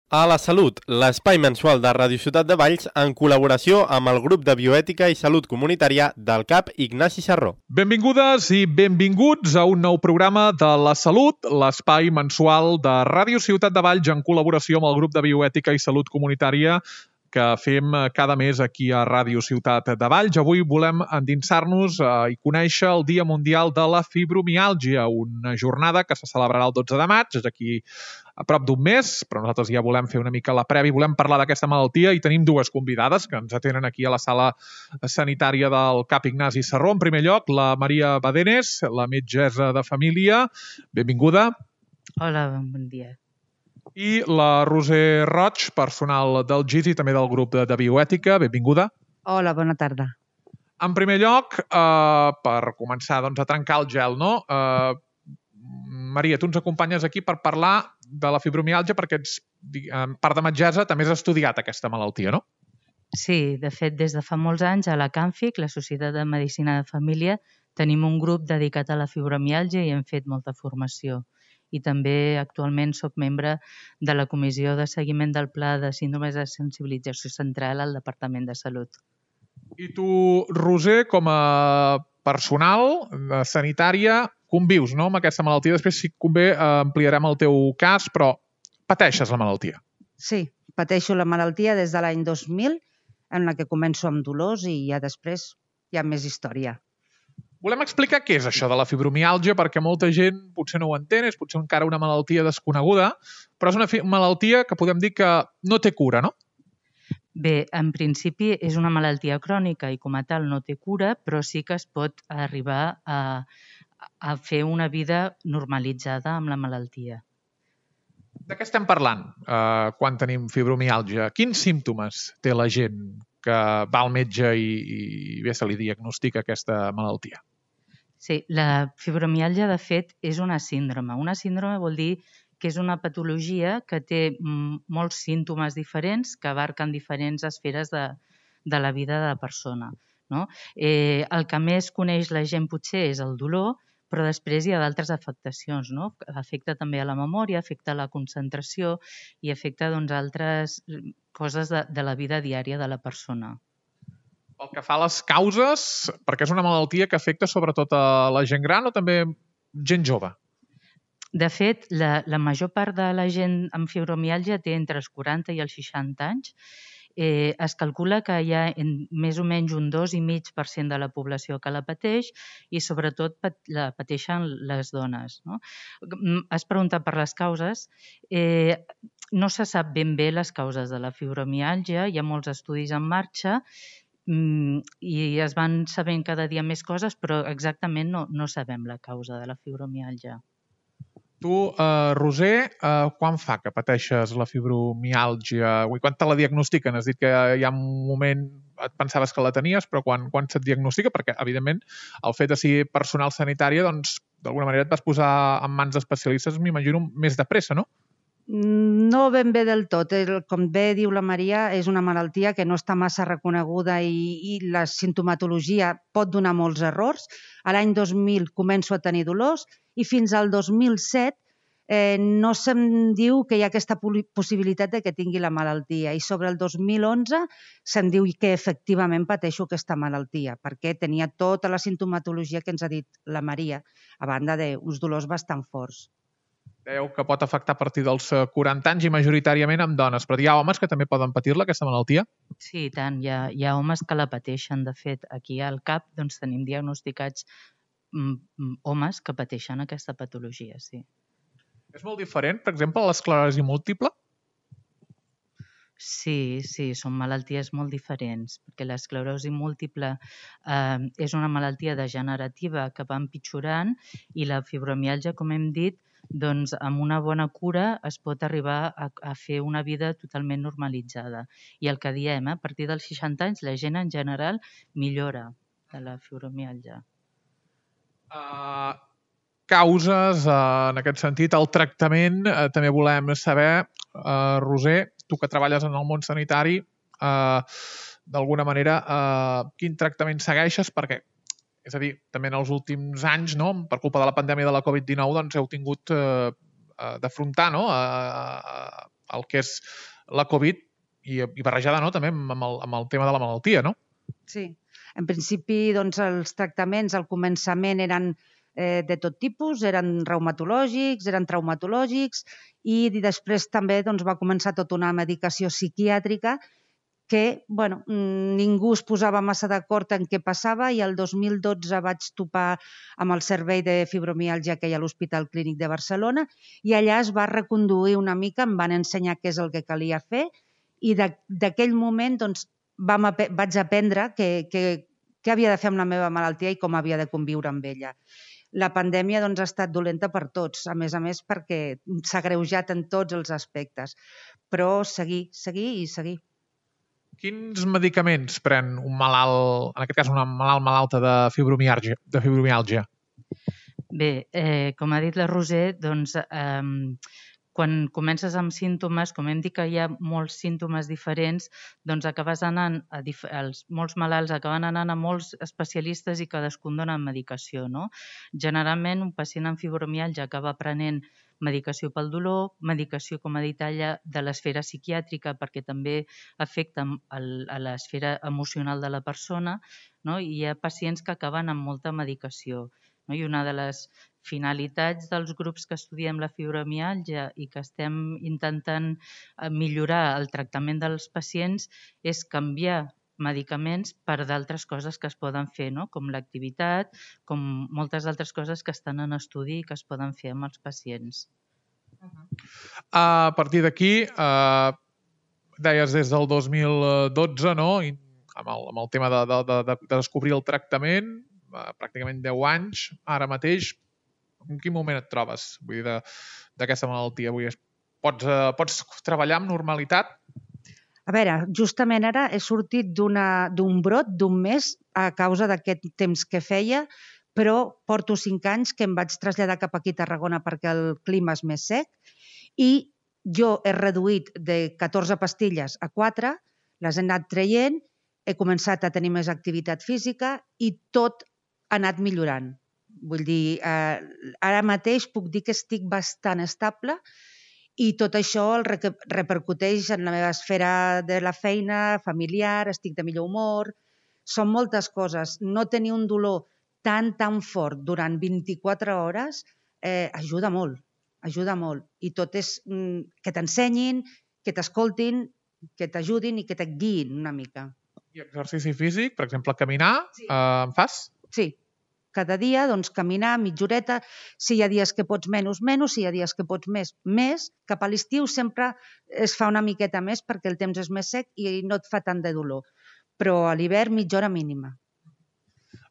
A la Salut, l'espai mensual de Ràdio Ciutat de Valls en col·laboració amb el grup de bioètica i salut comunitària del CAP Ignasi Sarró. Benvingudes i benvinguts a un nou programa de La Salut, l'espai mensual de Ràdio Ciutat de Valls en col·laboració amb el grup de bioètica i salut comunitària que fem cada mes aquí a Ràdio Ciutat de Valls. Avui volem endinsar-nos i conèixer el Dia Mundial de la Fibromiàlgia, una jornada que se celebrarà el 12 de maig, és aquí a prop d'un mes, però nosaltres ja volem fer una mica la prèvia, volem parlar d'aquesta malaltia i tenim dues convidades que ens atenen aquí a la sala sanitària del CAP Ignasi Sarró. En primer lloc, la Maria Badenes, la metgessa de família. Benvinguda. Hola, bon dia. I la Roser Roig, personal del GIS i també del grup de bioètica. Benvinguda. Hola, bona tarda. En primer lloc, per començar a trencar el gel, no? Maria, tu ens acompanyes aquí per parlar de la fibromiàlgia perquè ets, part de metgessa, també has estudiat aquesta malaltia, no? Sí, de fet, des de fa molts anys a la CANFIC, la Societat de Medicina de Família, tenim un grup dedicat a la fibromiàlgia i hem fet molta formació. I també actualment soc membre de la Comissió de Seguiment del Pla de Síndromes de Sensibilització Central al Departament de Salut. I tu, Roser, com a personal sanitària, convius, no?, amb aquesta malaltia. Després, si convé, ampliarem el teu cas, però pateixes la malaltia. Sí, pateixo la malaltia des de l'any 2000, en la que començo amb dolors i ja després hi ha més història. Volem explicar què és això de la fibromiàlgia, perquè molta gent potser no ho entén, és potser encara una malaltia desconeguda, però és una malaltia que podem dir que no té cura, no? Bé, en principi és una malaltia crònica i com a tal no té cura, però sí que es pot arribar a fer una vida normalitzada amb la malaltia. De què estem parlant quan tenim fibromiàlgia? Quins símptomes té la gent que va al metge i bé se li diagnostica aquesta malaltia? Sí, la fibromiàlgia, de fet, és una síndrome. Una síndrome vol dir que és una patologia que té molts símptomes diferents que abarquen diferents esferes de la vida de la persona, no? El que més coneix la gent potser és el dolor, però després hi ha d'altres afectacions, no? Afecta també a la memòria, afecta a la concentració i afecta altres coses de la vida diària de la persona. Pel que fa a les causes, perquè és una malaltia que afecta sobretot a la gent gran o també gent jove? De fet, la major part de la gent amb fibromiàlgia té entre els 40 i els 60 anys. Es calcula que hi ha més o menys un 2,5% de la població que la pateix i sobretot la pateixen les dones, no? Has preguntat per les causes. No se sap ben bé les causes de la fibromiàlgia, hi ha molts estudis en marxa i es van sabent cada dia més coses, però exactament no sabem la causa de la fibromiàlgia. Tu, Roser, quan fa que pateixes la fibromiàlgia? Quan te la diagnostiquen? Has dit que hi ha un moment et pensaves que la tenies, però quan se't diagnostica? Perquè, evidentment, el fet de ser personal sanitari, doncs, d'alguna manera et vas posar en mans d'especialistes, m'imagino, més de pressa, no? No ben bé del tot. Com bé diu la Maria, és una malaltia que no està massa reconeguda i la sintomatologia pot donar molts errors. A l'any 2000 començo a tenir dolors i fins al 2007 no se'm diu que hi ha aquesta possibilitat de que tingui la malaltia. I sobre el 2011 se'm diu que efectivament pateixo aquesta malaltia perquè tenia tota la sintomatologia que ens ha dit la Maria, a banda d'uns dolors bastant forts. Dèieu que pot afectar a partir dels 40 anys i majoritàriament amb dones, però hi ha homes que també poden patir-la, aquesta malaltia? Sí, i tant. Hi ha homes que la pateixen. De fet, aquí al CAP tenim diagnosticats homes que pateixen aquesta patologia, sí. És molt diferent, per exemple, l'esclerosi múltiple? Sí, són malalties molt diferents, perquè l'esclerosi múltiple és una malaltia degenerativa que va empitjorant i la fibromiàlgia, com hem dit, doncs amb una bona cura es pot arribar a fer una vida totalment normalitzada. I el que diem, a partir dels 60 anys, la gent en general millora de la fibromiàlgia. Causes, en aquest sentit, el tractament, també volem saber, Roser, tu que treballes en el món sanitari, d'alguna manera, quin tractament segueixes? Perquè, és a dir, també en els últims anys, no, per culpa de la pandèmia de la Covid-19, doncs heu tingut d'afrontar, no, el que és la Covid i barrejada, no?, també amb el tema de la malaltia, no? Sí. En principi, doncs, els tractaments al començament eren de tot tipus, eren reumatològics, eren traumatològics i després també doncs, va començar tota una medicació psiquiàtrica que ningú es posava massa d'acord en què passava i el 2012 vaig topar amb el servei de fibromiàlgia que hi ha a l'Hospital Clínic de Barcelona i allà es va reconduir una mica, em van ensenyar què és el que calia fer i d'aquell moment doncs, vaig aprendre què havia de fer amb la meva malaltia i com havia de conviure amb ella. La pandèmia doncs, ha estat dolenta per tots, a més perquè s'ha agreujat en tots els aspectes, però seguir i seguir. Quins medicaments pren un malalt, en aquest cas una malalta de fibromiàlgia? Bé, com ha dit la Roser, doncs, quan comences amb símptomes, com hem dit que hi ha molts símptomes diferents, doncs acabes anant, molts malalts acaben anant a molts especialistes i cadascun dona medicació, no? Generalment, un pacient amb fibromiàlgia acaba prenent medicació pel dolor, medicació, com ha dit ella, de l'esfera psiquiàtrica, perquè també afecta a l'esfera emocional de la persona, no? I hi ha pacients que acaben amb molta medicació. No? I una de les finalitats dels grups que estudiem la fibromiàlgia i que estem intentant millorar el tractament dels pacients és canviar medicaments per d'altres coses que es poden fer, no? Com l'activitat, com moltes altres coses que estan en estudi i que es poden fer amb els pacients. A partir d'aquí, deies des del 2012, no? I amb el tema de descobrir el tractament, pràcticament 10 anys, ara mateix, en quin moment et trobes d'aquesta malaltia? Pots treballar amb normalitat? A veure, justament ara he sortit d'un brot d'un mes a causa d'aquest temps que feia, però porto 5 anys que em vaig traslladar cap aquí a Tarragona perquè el clima és més sec i jo he reduït de 14 pastilles a 4, les he anat traient, he començat a tenir més activitat física i tot ha anat millorant. Vull dir, ara mateix puc dir que estic bastant estable i tot això el repercuteix en la meva esfera de la feina, familiar, estic de millor humor. Són moltes coses. No tenir un dolor tan fort durant 24 hores ajuda molt, ajuda molt. I tot és que t'ensenyin, que t'escoltin, que t'ajudin i que et guiïn una mica. I exercici físic, per exemple, caminar, en fas? Sí. Cada dia, doncs, caminar mitja horeta. Si hi ha dies que pots menys, si hi ha dies que pots més. Cap a l'estiu sempre es fa una miqueta més perquè el temps és més sec i no et fa tant de dolor. Però a l'hivern, mitja hora mínima.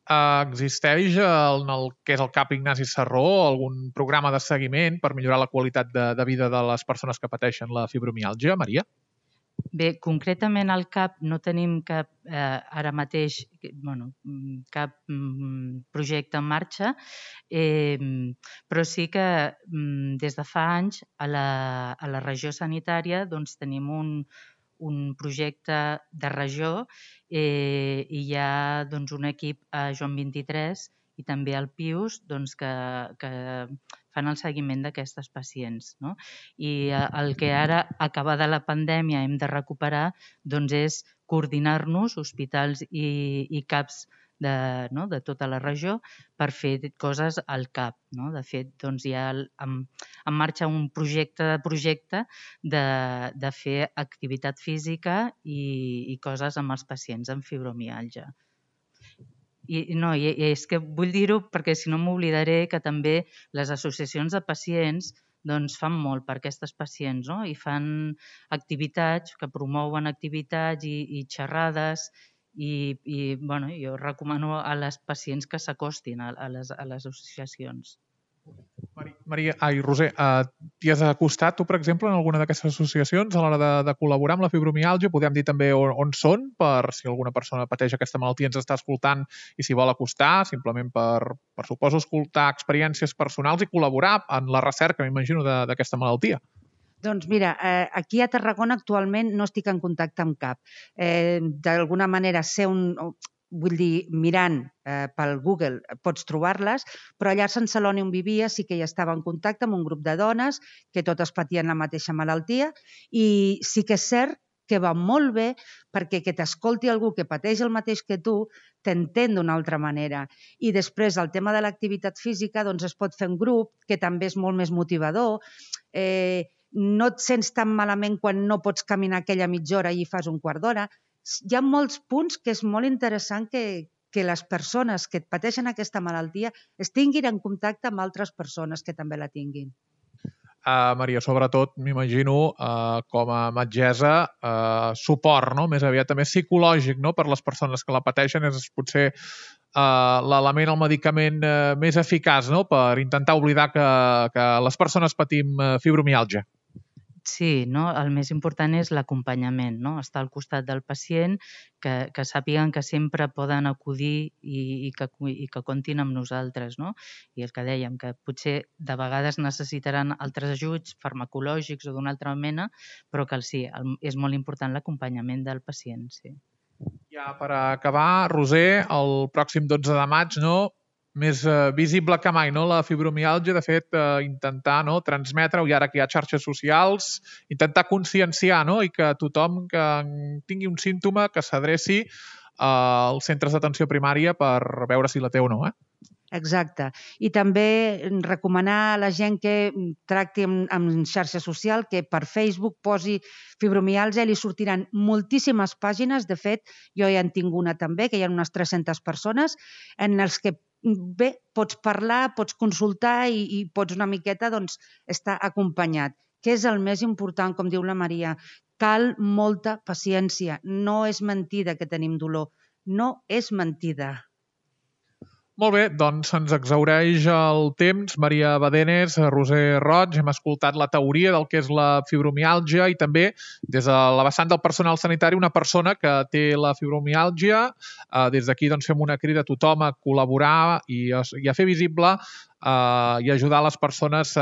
Existeix en el que és el CAP Ignasi Sarró algun programa de seguiment per millorar la qualitat de vida de les persones que pateixen la fibromiàlgia, Maria? Bé, concretament al CAP no tenim cap, ara mateix, cap projecte en marxa, però sí que des de fa anys a la regió sanitària doncs, tenim un projecte de regió i hi ha doncs, un equip a Joan 23 i també al Pius doncs, que fan el seguiment d'aquestes pacients. No? I el que ara, acabada la pandèmia, hem de recuperar doncs, és coordinar-nos, hospitals i CAPs de tota la regió, per fer coses al CAP. No? De fet, doncs, hi ha en marxa un projecte de fer activitat física i coses amb els pacients amb fibromiàlgia. I és que vull dir-ho perquè si no m'oblidaré que també les associacions de pacients doncs, fan molt per aquestes pacients, no? I fan activitats, que promouen activitats i xerrades i jo recomano a les pacients que s'acostin a les associacions. Roser, t'hi has acostat tu, per exemple, en alguna d'aquestes associacions a l'hora de col·laborar amb la fibromiàlgia? Podem dir també on són, per si alguna persona pateix aquesta malaltia ens està escoltant i s'hi vol acostar, simplement per suposo, escoltar experiències personals i col·laborar en la recerca, m'imagino, d'aquesta malaltia. Doncs mira, aquí a Tarragona actualment no estic en contacte amb cap. D'alguna manera sé vull dir, mirant pel Google pots trobar-les, però allà a Sant Celoni on vivia sí que ja estava en contacte amb un grup de dones que totes patien la mateixa malaltia i sí que és cert que va molt bé perquè que t'escolti algú que pateix el mateix que tu t'entén d'una altra manera. I després el tema de l'activitat física doncs es pot fer en grup, que també és molt més motivador. No et sents tan malament quan no pots caminar aquella mitja hora i fas un quart d'hora. Hi ha molts punts que és molt interessant que les persones que pateixen aquesta malaltia es tinguin en contacte amb altres persones que també la tinguin. Maria, sobretot, m'imagino, com a metgessa, suport, no? Més aviat també psicològic, no? Per les persones que la pateixen és potser l'element, el medicament més eficaç, no? Per intentar oblidar que les persones patim fibromiàlgia. Sí, no? El més important és l'acompanyament, no? Estar al costat del pacient, que sàpiguen que sempre poden acudir i que comptin amb nosaltres, no? I el que dèiem, que potser de vegades necessitaran altres ajuts farmacològics o d'una altra mena, però que sí, és molt important l'acompanyament del pacient, sí. Ja per acabar, Roser, el pròxim 12 de maig, no? Més visible que mai, no? La fibromiàlgia, de fet, intentar transmetre-ho, i ara que hi ha xarxes socials, intentar conscienciar, no? I que tothom que tingui un símptoma que s'adreci als centres d'atenció primària per veure si la té o no, Exacte. I també recomanar a la gent que tracti amb xarxa social, que per Facebook posi fibromiàlgia i li sortiran moltíssimes pàgines. De fet, jo ja en tinc una també, que hi ha unes 300 persones, en els que bé, pots parlar, pots consultar i pots una miqueta estar acompanyat, que és el més important, com diu la Maria. Cal molta paciència. No és mentida que tenim dolor. No és mentida. Molt bé, doncs se'ns exhaureix el temps. Maria Badenes, Roser Roig, hem escoltat la teoria del que és la fibromiàlgia i també des de la vessant del personal sanitari una persona que té la fibromiàlgia. Des d'aquí doncs, fem una crida a tothom a col·laborar i a fer visible i ajudar les persones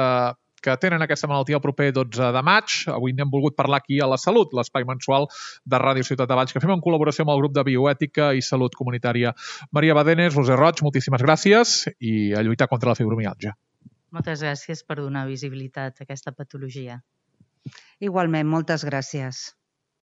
que tenen aquesta malaltia el proper 12 de maig. Avui n'hem volgut parlar aquí a La Salut, l'espai mensual de Ràdio Ciutat de Valls, que fem en col·laboració amb el grup de Bioètica i Salut Comunitària. Maria Badenes, Roser Roig, moltíssimes gràcies i a lluitar contra la fibromiàlgia. Moltes gràcies per donar visibilitat a aquesta patologia. Igualment, moltes gràcies.